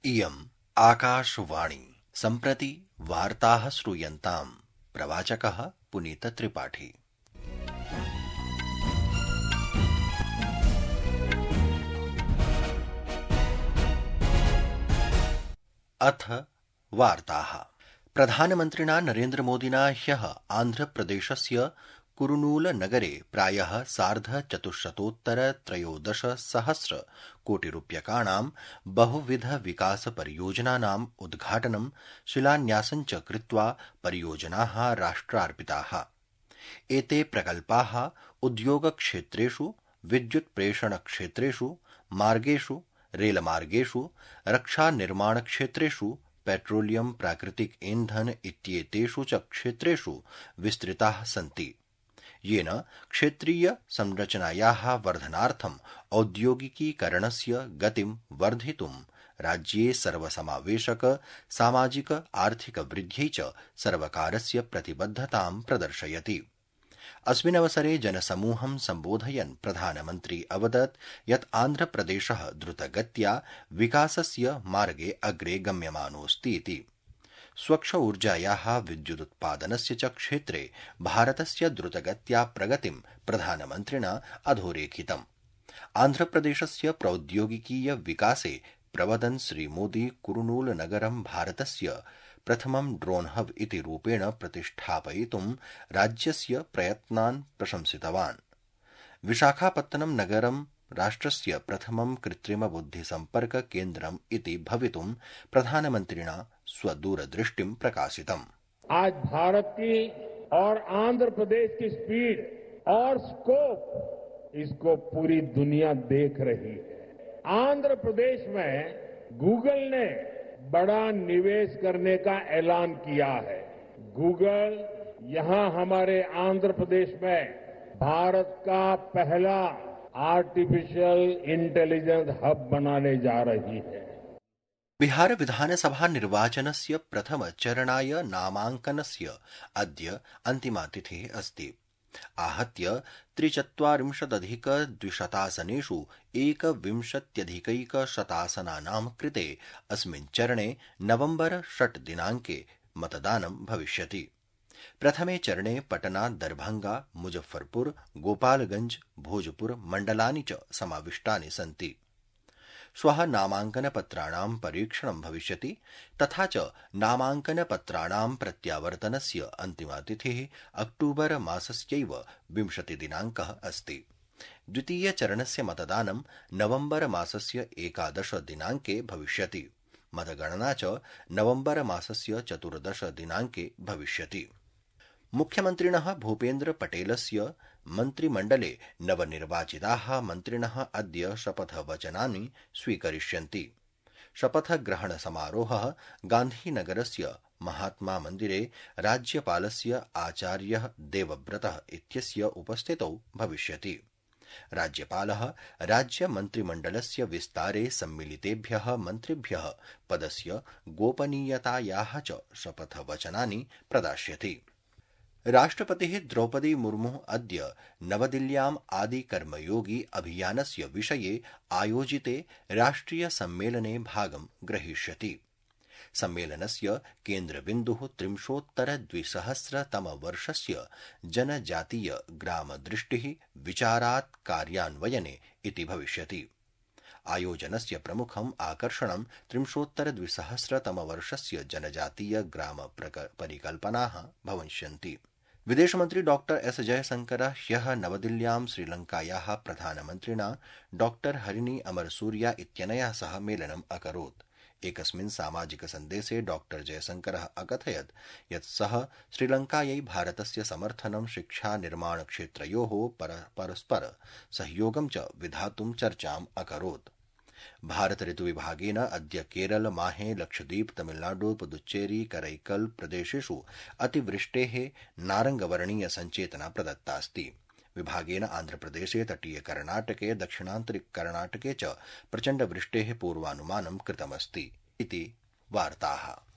इयम् आकाशवाणी। सम्प्रति वार्ताः श्रूयन्ताम्। प्रवाचकः पुनीतत्रिपाठी। अथ वार्ताः। प्रधानमन्त्रिणा नरेन्द्रमोदिना ह्यः आन्ध्रप्रदेशस्य कुरुनूलनगरे प्रायः 4,413 कोटिरूप्यकाणां बहुविधविकासपरियोजनानाम् उद्घाटनं शिलान्यासं च कृत्वा परियोजनाः राष्ट्रार्पिताः। एते प्रकल्पाः उद्योगक्षेत्रेषु, विद्युत्प्रेषणक्षेत्रेषु, मार्गेषु, रेलमार्गेषु, रक्षानिर्माणक्षेत्रेषु, पेट्रोलियम, प्राकृतिक ईंधन इत्येतेषु च क्षेत्रेषु विस्तृताः सन्ति, येन क्षेत्रीय संरचनायाः वर्धनार्थम् औद्योगिकीकरणस्य गतिं वर्धितुं राज्ये सर्वसमावेशक सामाजिक आर्थिक वृद्ध्यै च सर्वकारस्य प्रतिबद्धतां प्रदर्शयति। अस्मिन्नवसरे जनसमूहं सम्बोधयन् प्रधानमन्त्री अवदत् यत् आन्ध्रप्रदेशः द्रुतगत्या विकासस्य मार्गे अग्रे गम्यमानोऽस्तीति। स्वच्छ ऊर्जायाः विद्युदुत्पादनस्य च क्षेत्रे भारतस्य द्रुतगत्या प्रगतिं प्रधानमन्त्रिणा अधोरेखितम्। आन्ध्रप्रदेशस्य प्रौद्योगिकीय विकासे प्रवदन् श्रीमोदी कुरुनूलनगरं भारतस्य प्रथमं ड्रोन हब इति रूपेण प्रतिष्ठापयितुं राज्यस्य प्रयत्नान् प्रशंसितवान्। विशाखापत्तनं नगरं राष्ट्रस्य प्रथमं कृत्रिमबुद्धिसम्पर्क केन्द्रम् इति भवितुं प्रधानमन्त्रिणा स्वदूरदृष्टिं प्रकाशितम्। आज भारत की और आंध्र प्रदेश की स्पीड और स्कोप, इसको पूरी दुनिया देख रही है। आंध्र प्रदेश में गूगल ने बड़ा निवेश करने का ऐलान किया है। गूगल यहां हमारे आंध्र प्रदेश में भारत का पहला आर्टिफिशियल इंटेलिजेंस हब बनाने जा रही है। बिहार विधानसभा निर्वाचनस्य प्रथमचरणाय नामाङ्कनस्य अद्य अन्तिमा तिथिः अस्ति। आहत्य 43,200 एकविंशत्यधिकैकशतासनानां कृते अस्मिन् चरणे नवम्बर 6 दिनाङ्के मतदानं भविष्यति। प्रथमे चरणे पटना, दरभंगा, मुजफ्फरपुर, गोपालगंज, भोजपुर मण्डलानि च समाविष्टानि सन्ति। श्वः नामाङ्कनपत्राणां परीक्षणं भविष्यति, तथा च नामाङ्कनपत्राणां प्रत्यावर्तनस्य अन्तिमा तिथिः अक्टूबर मासस्यैव 20 दिनाङ्कः अस्ति। द्वितीयचरणस्य मतदानं नवम्बर मासस्य 11 दिनाङ्के भविष्यति। मतगणना च नवम्बर मासस्य 14 दिनाङ्के भविष्यति। मुख्यमन्त्रिणः भूपेन्द्र पटेलस्य मन्त्रिमण्डले नवनिर्वाचिताः मन्त्रिणः अद्य शपथवचनानि स्वीकरिष्यन्ति। शपथग्रहणसमारोहः गान्धीनगरस्य महात्मा मन्दिरे राज्यपालस्य आचार्यः देवव्रतः इत्यस्य उपस्थितौ भविष्यति। राज्यपालः राज्यमन्त्रिमण्डलस्य विस्तारे सम्मिलितेभ्यः मन्त्रिभ्यः पदस्य गोपनीयतायाः च शपथवचनानि प्रदास्यति। राष्ट्रपतिः द्रौपदी मुर्मुः अद्य नवदिल्ल्याम् आदिकर्मयोगी अभियानस्य विषये आयोजिते राष्ट्रियसम्मेलने भागं ग्रहीष्यति। सम्मेलनस्य केन्द्रबिन्दुः 3,200 जनजातीय ग्रामदृष्टिः विचारात् कार्यान्वयने इति भविष्यति। आयोजनस्य प्रमुखम् आकर्षणं 3,200 जनजातीय ग्राम परिकल्पनाः भविष्यन्ति। विदेशमन्त्री डॉ एस जयशंकरः ह्यः नवदिल्ल्यां श्रीलङ्कायाः प्रधानमन्त्रिणा डॉ हरिणी अमरसूरिया इत्यनया सह मेलनम् अकरोत्। एकस्मिन् सामाजिकसन्देशे डॉ जयशंकरः अकथयत् यत् सः श्रीलङ्कायै भारतस्य समर्थनं शिक्षा निर्माणक्षेत्रयोः परस्पर सहयोगं च विधातुं चर्चाम् अकरोत्। भारत ऋतुविभागेन अद्य केरल, माहे, लक्षद्वीप, तमिलनाडु, पुदुच्चेरी, करैकल प्रदेशेषु अतिवृष्टेः नारङ्गवर्णीय सञ्चेतना प्रदत्तास्ति। विभागेन आन्ध्रप्रदेशे, तटीय कर्णाटके, दक्षिणान्तरिक कर्णाटके च प्रचण्डवृष्टेः पूर्वानुमानं कृतमस्ति इति वार्ताः।